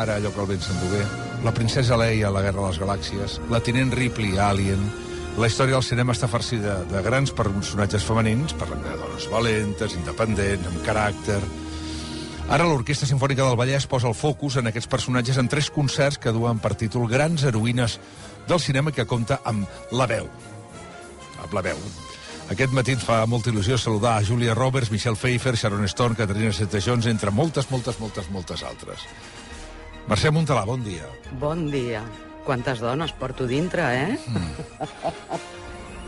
O'Hara, allò que el vent s'endugué, la princesa Leia a la Guerra de les Galàxies, la tinent Ripley a Alien. La història del cinema està farcida de grans personatges femenins, parlem de dones valentes, independents, amb caràcter. Ara l'Orquestra Simfònica del Vallès posa el focus en aquests personatges en 3 concerts que duen per títol Grans heroïnes del cinema, que compta amb la veu. Amb la veu. Aquest matí ens fa molta il·lusió saludar a Julia Roberts, Michelle Pfeiffer, Sharon Stone, Catherine Zeta-Jones, entre moltes altres. Mercè Montalà, bon dia. Bon dia. Quantes dones porto dintre,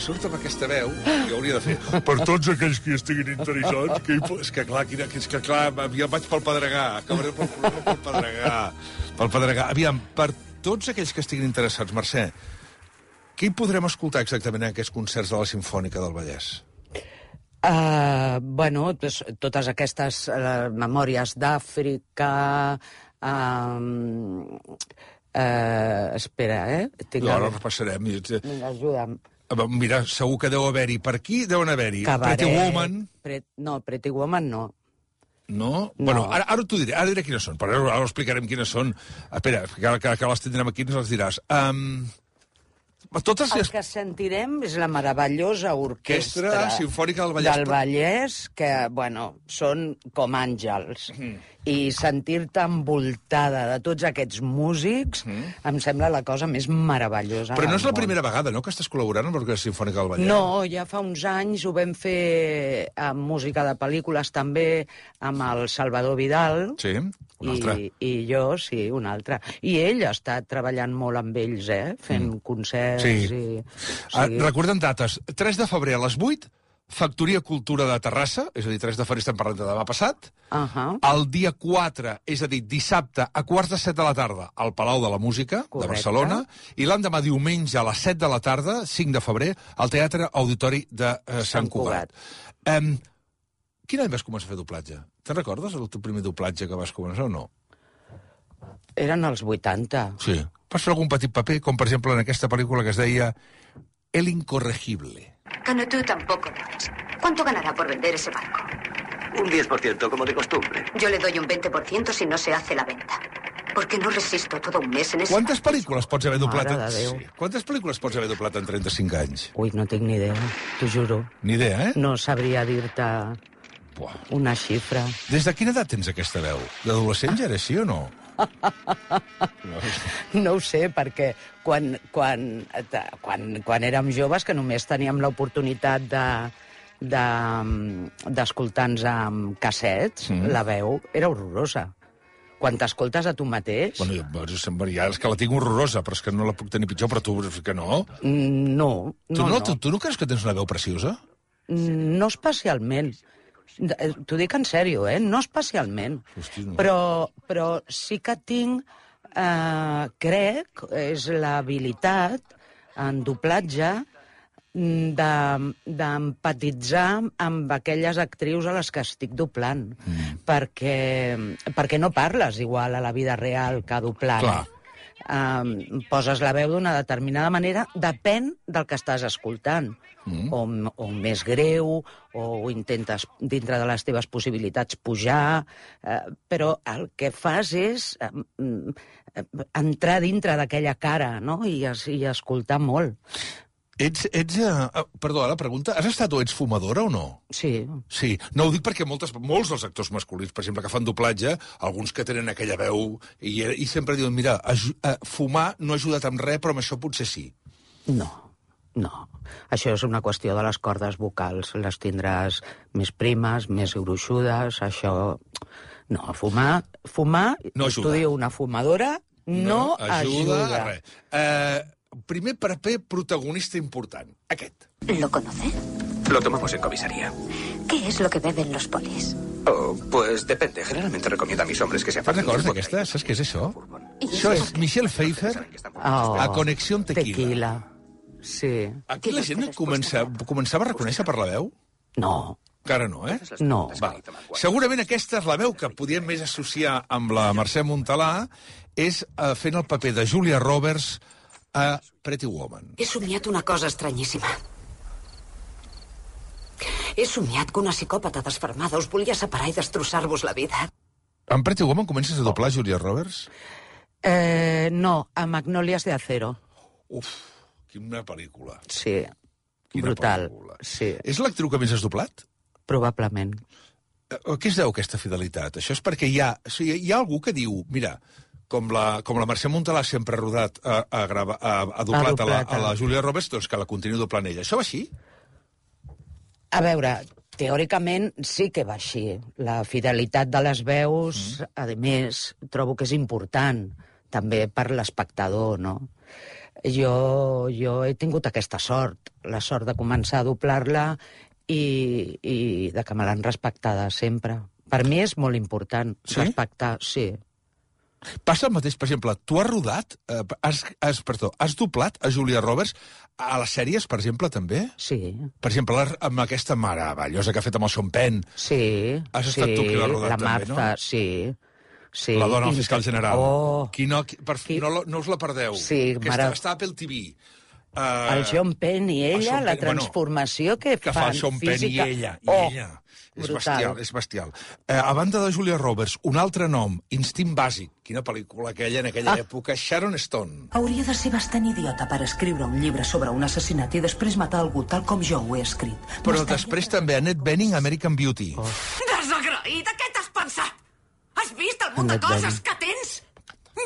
Surt amb aquesta veu, que hauria de fer per tots aquells que hi estiguin interessats, és que clar, ja vaig pel Pedregà, acabaré pel Pedregà. Aviam, per tots aquells que estiguin interessats, Mercè, què hi podrem escoltar exactament en aquests concerts de la Simfònica del Vallès? Bueno, totes aquestes memòries d'Àfrica... espera, Ara repassarem. Vinga, ajuda'm. Mira, segur que deu haver-hi. Per aquí deuen haver-hi. Pretty Woman... No, Pretty Woman no. No? Bueno, ara t'ho diré. Ara diré quines són, però ara explicarem quines són. Espera, que les tindrem aquí i ens les diràs. El que sentirem és la meravellosa orquestra Simfònica del Vallès, que, bueno, són com àngels. I sentir-te envoltada de tots aquests músics em sembla la cosa més meravellosa. Però no és la primera vegada, no?, que estàs col·laborant amb l'Orquestra Simfònica del Vallès. No, ja fa uns anys ho vam fer amb música de pel·lícules també, amb el Salvador Vidal. Sí, un altre. I jo, sí, un altre. I ell ha estat treballant molt amb ells, fent concerts. Sí. Recordem dates. 3 de febrer a les 8, Factoria Cultura de Terrassa, és a dir, 3 de febrer estem parlant de demà passat. El dia 4, és a dir, dissabte, a 7:15 de la tarda, al Palau de la Música de Barcelona, i l'endemà diumenge a les 7 de la tarda, 5 de febrer, al Teatre Auditori de Sant Cugat. Quin any vas començar a fer doblatge? Te'n recordes el teu primer doblatge que vas començar o no? Eren els 80. Sí. Vas fer algun petit paper, com per exemple en aquesta pel·lícula que es deia El Incorregible. Cano, tú tampoco lo es. ¿Cuánto ganará por vender ese barco? Un 10%, como de costumbre. Yo le doy un 20% si no se hace la venta. Porque no resisto todo un mes en ese... Quantes pel·lícules pots haver doblat? Mare de Déu. Sí. Quantes pel·lícules pots haver doblat en 35 anys? Ui, no tinc ni idea, t'ho juro. Ni idea, No sabria dir-te una xifra. Des de quina edat tens aquesta veu? D'adolescent ja era així o no? No ho sé, perquè quan érem joves, que només teníem l'oportunitat d'escoltar-nos amb cassets, la veu era horrorosa. Quan t'escoltes a tu mateix... Bueno, ja és que la tinc horrorosa, però és que no la puc tenir pitjor, però tu que no? No. Tu no creus que tens una veu preciosa? No especialment. T'ho dic en sèrio, no especialment. Hosti, no. Però sí que tinc, crec, és l'habilitat en doblatge d'empatitzar amb aquelles actrius a les que estic doblant. Perquè no parles igual a la vida real que doblant. Clar. Poses la veu d'una determinada manera, depèn del que estàs escoltant. O més greu, o intentes, dintre de les teves possibilitats, pujar, però el que fas és entrar dintre d'aquella cara, no?, i escoltar molt. Perdó, la pregunta, has estat o ets fumadora o no? Sí. Sí, no ho dic perquè molts dels actors masculins, per exemple, que fan doblatge, alguns que tenen aquella veu, i sempre diuen, mira, fumar no ha ajudat amb res, però amb això potser sí. No. Això és una qüestió de les cordes vocals. Les tindràs més primes, més gruixudes, això... No, fumar no ajuda. T'ho diu una fumadora, no ajuda. Res. Primer paper protagonista important, aquest. ¿Lo conoce? Lo tomamos en comisaría. ¿Qué es lo que beben los polis? Oh, pues depende. Generalmente recomiendo a mis hombres que se Fas aparten records del d'aquesta? Saps què és això? ¿Y Això és Michelle Pfeiffer a Connexió Tequila. Sí. Aquí la gent començava a reconèixer per la veu? No. Encara no, No. Val. Segurament aquesta és la veu que podíem més associar amb la Mercè Montalà, és fent el paper de Julia Roberts a Pretty Woman. He somiat una cosa estranyíssima. He somiat que una psicòpata desfermada us volia separar i destrossar-vos la vida. En Pretty Woman comences a doblar Julia Roberts? No, a Magnolias de Acero. Uf, quina pel·lícula. Sí, Quina brutal. pel·lícula. Sí, És l'actriu que més has doblat? probablement. A què es deu aquesta fidelitat? Això és perquè hi ha algú que diu, mira, com la Mercè Montalà sempre ha rodat, ha doblat a la Julia Roberts, doncs que la continuï doblant ella. Això va així? A veure, teòricament sí que va així. La fidelitat de les veus, a més, trobo que és important, també per l'espectador, no? Jo he tingut aquesta sort, la sort de començar a doblar-la i de que me l'han respectada sempre. Per mi és molt important respectar, sí. Passa el mateix, per exemple, tu has rodat, has doblat a Julia Roberts a les sèries, per exemple, també? Sí. Per exemple, amb aquesta meravellosa que ha fet amb el Sean Penn. Sí. Has estat tu qui l'ha rodat, la també, Marta, no? Sí. La dona del fiscal general. No us la perdeu. Sí, està a Apple TV. El Sean Penn i ella, la transformació que fan fa el Sean Penn i ella. És bestial. A banda de Julia Roberts, un altre nom, Instint Bàsic. Quina pel·lícula aquella en aquella època. Sharon Stone. Hauria de ser bastant idiota per escriure un llibre sobre un assassinat i després matar algú tal com jo ho he escrit. Però després també Annette Bening, American Beauty. Desagraïda, què t'has pensat? Has vist el munt de coses que tens?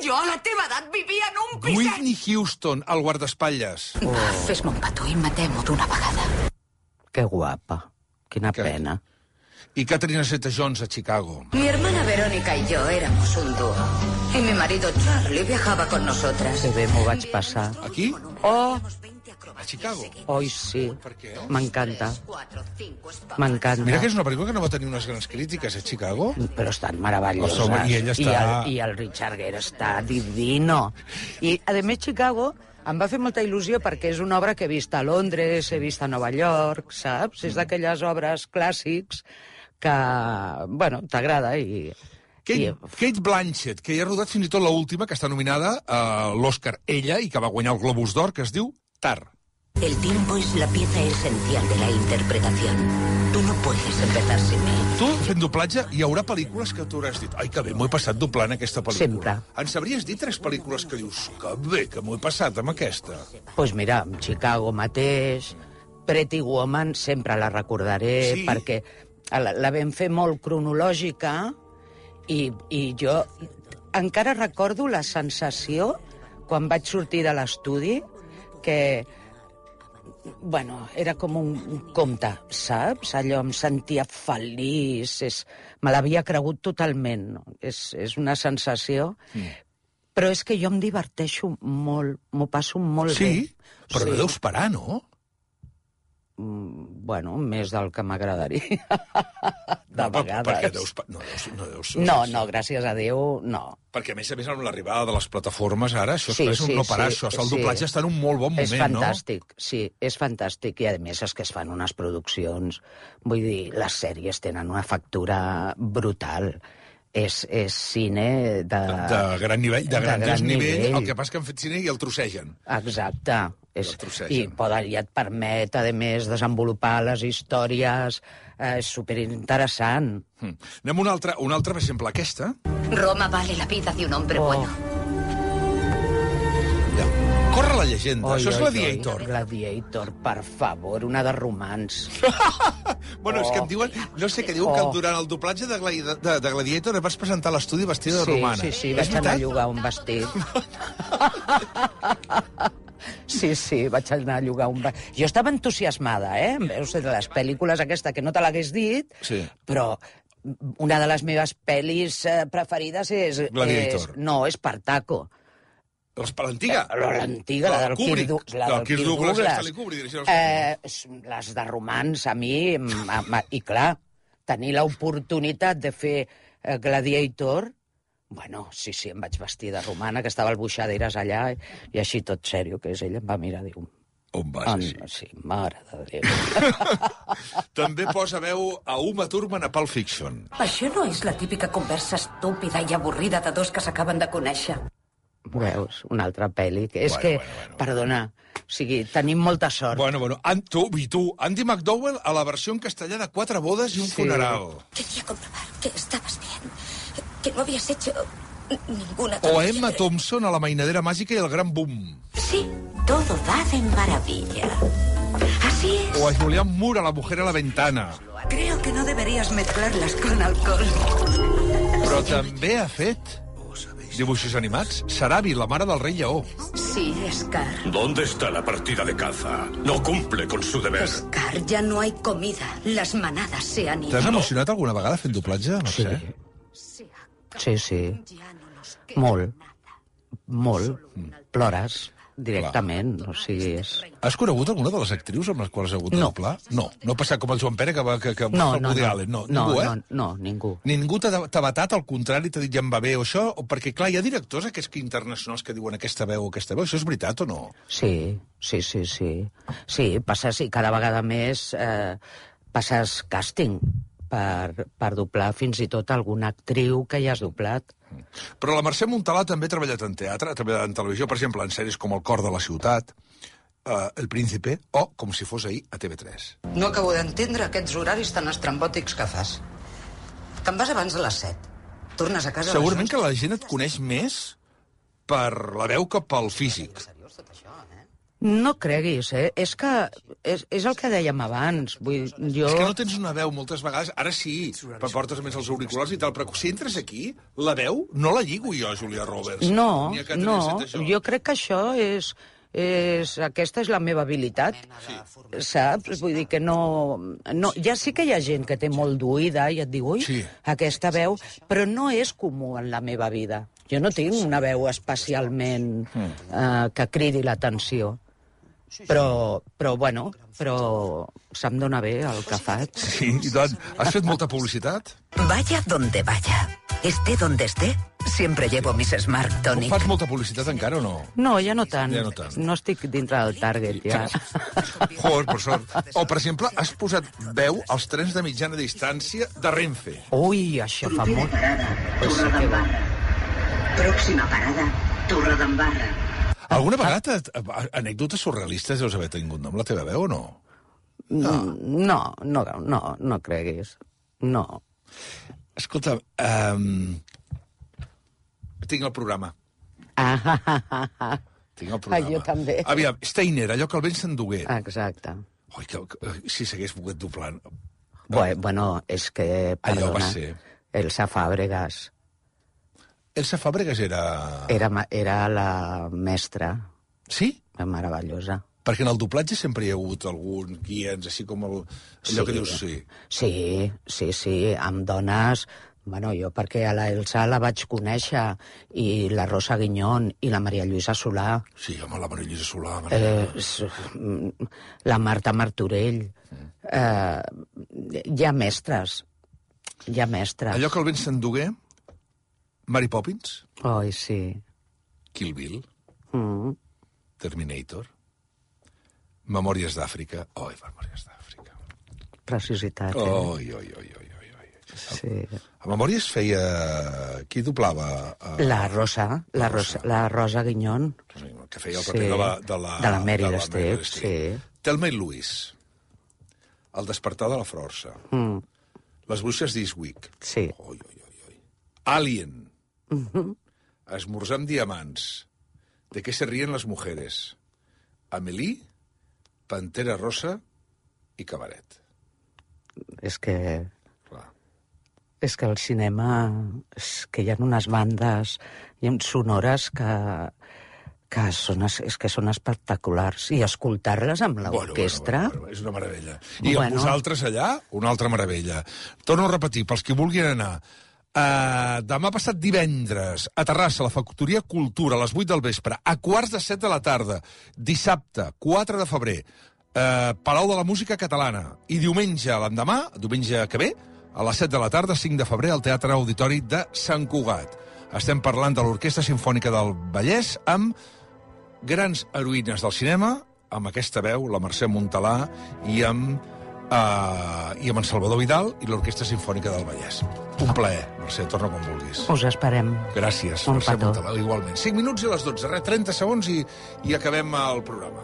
Jo a la teva edat vivia en un piset. Whitney Houston, el guardaespatlles. Fes-me un petó i matem-ho d'una vegada. Que guapa. Quina pena. Y Catherine Zeta-Jones a Chicago. Mi hermana Verónica y yo éramos un dúo. Y mi marido Charlie viajaba con nosotras. Que bé m'ho vaig passar. Aquí? Oh! A Chicago? Oi, sí. Per què? M'encanta. M'encanta. Mira que és una pel·lícula que no va tenir unes grans crítiques a Chicago. Però estan meravelloses. I ella està... I el Richard Gere està divino. I, a més, Chicago em va fer molta il·lusió perquè és una obra que he vist a Londres, he vist a Nova York, saps? És d'aquelles obres clàssics que, bueno, t'agrada i... Kate Blanchett, que ja ha rodat fins i tot l'última, que està nominada a l'Oscar ella i que va guanyar el Globus d'Or, que es diu Tar. El tiempo es la pieza esencial de la interpretación. Tú no puedes empezar sin mí. Tu, fent doblatge, hi haurà pel·lícules que tu hauràs dit ai, que bé, m'ho he passat doblant aquesta pel·lícula. Sempre. Ens sabries dir 3 pel·lícules que dius que bé, que m'ho he passat amb aquesta? Doncs pues mira, Chicago mateix, Pretty Woman, sempre la recordaré, sí. Perquè la vam fer molt cronològica i jo encara recordo la sensació quan vaig sortir de l'estudi que, bueno, era com un conte, saps? Allò em sentia feliç, me l'havia cregut totalment. No? És una sensació... Però és que jo em diverteixo molt, m'ho passo molt bé. Sí? Però no deus parar, no? Bueno, més del que m'agradaria. De vegades. Perquè deus... No, gràcies a Déu, no. Perquè, a més, amb l'arribada de les plataformes, ara, això Sí, és un no parar, això. El doblatge està en un molt bon moment, És fantàstic, no? Sí, és fantàstic. I, a més, és que es fan unes produccions... Vull dir, les sèries tenen una factura brutal. És cine de gran nivell, de gran nivell. El que passa que han fet cine i el trossegen. Exacte. I et permet, a més, desenvolupar les històries. És superinteressant. Anem a una altra, per exemple, aquesta. Roma vale la vida de un hombre bueno. Ja. Corre la llegenda. Això és Gladiator. Gladiator, per favor, una de romans. Bueno, és que em diuen... No sé què diuen, que durant el doblatge de Gladiator et vas presentar a l'estudi vestida de romana. Sí, vaig anar a llogar un vestit. Sí, vaig anar a llogar un vestit. Jo estava entusiasmada, Veus, de les pel·lícules aquesta, que no te l'hagués dit, però una de les meves pel·lis preferides és... Gladiator. No, Espartaco. L'antiga? L'antiga, la del Kirk Douglas. Les de romans, a mi... I clar, tenir l'oportunitat de fer Gladiator... Bueno, sí, em vaig vestir de romana, que estava al Buixaderes allà, i així tot sèrio, que és ella, em va mirar, diu... On vas, així? Sí, mare de Déu. També posa veu a Uma Thurman a Pulp Fiction. Això no és la típica conversa estúpida i avorrida de dos que s'acaben de conèixer. Veus, una altra pel·li, que és que, perdona, o sigui, tenim molta sort. Bueno, tu, Andy McDowell a la versió en castellà de 4 bodes i un funeral. Quería comprobar que estabas bien. que no habías hecho ninguna O a tontería. Emma Thompson a La mainadera màgica i el gran boom. Sí, todo va de maravilla. Así es. O a Julianne Moore a La mujer a la ventana. Creo que no deberías mezclarlas con alcohol. Però també ha fet dibuixos animats. Sarabi, la mare del rei lleó. Sí, Scar. ¿Dónde está la partida de caza? No cumple con su deber. Scar, ya no hay comida. Las manadas se han ido. T'has emocionat alguna vegada fent doblatge? No Sí. sé. Sí. Molt. Plores directament, o sigui, és... Has conegut alguna de les actrius amb les quals has hagut de No. doblar? No. No ha passat com el Joan Pere, que va el Woody Allen. No, no, ningú, eh? no, ningú. Ningú t'ha batat, al contrari, t'ha dit ja em va bé o això? O perquè, clar, hi ha directors aquests que internacionals que diuen aquesta veu o aquesta veu. Això és veritat o no? Sí. Sí, passes, i cada vegada més passes càsting per doblar fins i tot alguna actriu que ja has doblat. Però la Mercè Montalà també ha treballat en teatre, ha treballat en televisió, per exemple, en sèries com El cor de la ciutat, El príncipe, o, com si fos ahir, a TV3. No acabo d'entendre aquests horaris tan estrambòtics que fas. Te'n vas abans de les 7. Tornes a casa... Segurament que la gent et coneix més per la veu que pel físic. No creguis, és que és el que dèiem abans. Vull, jo... És que no tens una veu moltes vegades, ara sí, portes més els auriculars i tal, però si entres aquí, la veu no la lligo jo, Julia Roberts. No, Ni a Catherine Zeta-Jones. jo crec que això aquesta és la meva habilitat, saps? Vull dir que no... Ja sí que hi ha gent que té molt d'oïda i et diu, ui, Sí. aquesta veu, però no és comú en la meva vida. Jo no tinc una veu especialment que cridi l'atenció. Però se'm dona bé el que faig. Sí, i tant. Has fet molta publicitat? Vaya donde vaya, esté donde esté, siempre llevo mis Smart Tonic. Fas molta publicitat encara o no? No, ja no tant. Ja no tant. No estic dintre del target, ja. Joder, per sort. O, per exemple, has posat veu als trens de mitjana distància de Renfe. Ui, això fa molt... Pues sí que va. Pròxima parada, Torredembarra. Alguna vegada anècdotes surrealistes deus haver tingut amb la teva veu o no? No creguis. No. Escolta, tinc el programa. Tinc el programa. Jo també. Aviam, Steiner, allò que el vent s'endugué. Exacte. Ui, si s'hagués volgut doblant. Bueno, és que, Allò va perdona, ser. Elsa Fàbregas Elsa Fàbregas era... era la mestra. Sí? Meravellosa. Perquè en el doblatge sempre hi ha hagut algun guiens, així com allò que dius, sí. Sí, amb dones... Bueno, jo perquè a la Elsa la vaig conèixer, i la Rosa Guiñón, i la Maria Lluïsa Solà. Sí, home, la Maria Lluïsa Solà. La Marta Martorell. Hi ha mestres. Allò que el vent s'endugué, Mary Poppins, Oi, sí. Kill Bill, Terminator, Memòries d'Àfrica. Memòries d'Àfrica. Preciositat. Oi. Sí. A Memòries feia... Qui doblava? La Rosa Guiñón. Que feia el paper de la Meryl Streep, sí. Thelma i Louise, El despertar de la força, Les bruixes d'Eastwick. Sí. Oi. Alien. Esmorzar amb diamants. De què se ríen les mujeres. Amélie, Pantera Rosa i Cabaret. És que Clar. el cinema... És que hi ha unes bandes sonores que són espectaculars. I escoltar-les amb l'orquestra... Bueno, és una meravella. I amb vosaltres allà, una altra meravella. Torno a repetir, pels que vulguin anar... demà passat divendres a Terrassa, a la Factoria Cultura, a les 8 del vespre, a 7:15 de la tarda. Dissabte, 4 de febrer, Palau de la Música Catalana. I diumenge, l'endemà, diumenge que ve, a les 7 de la tarda, 5 de febrer, al Teatre Auditori de Sant Cugat. Estem parlant de l'Orquestra Simfònica del Vallès amb grans heroïnes del cinema, amb aquesta veu, la Mercè Montalà, i amb en Salvador Vidal i l'Orquestra Simfònica del Vallès. Un plaer, Mercè, torna quan vulguis. Us esperem. Gràcies, Un Mercè petó. Montalà, igualment. 5 minuts i les 12, 30 segons i acabem el programa.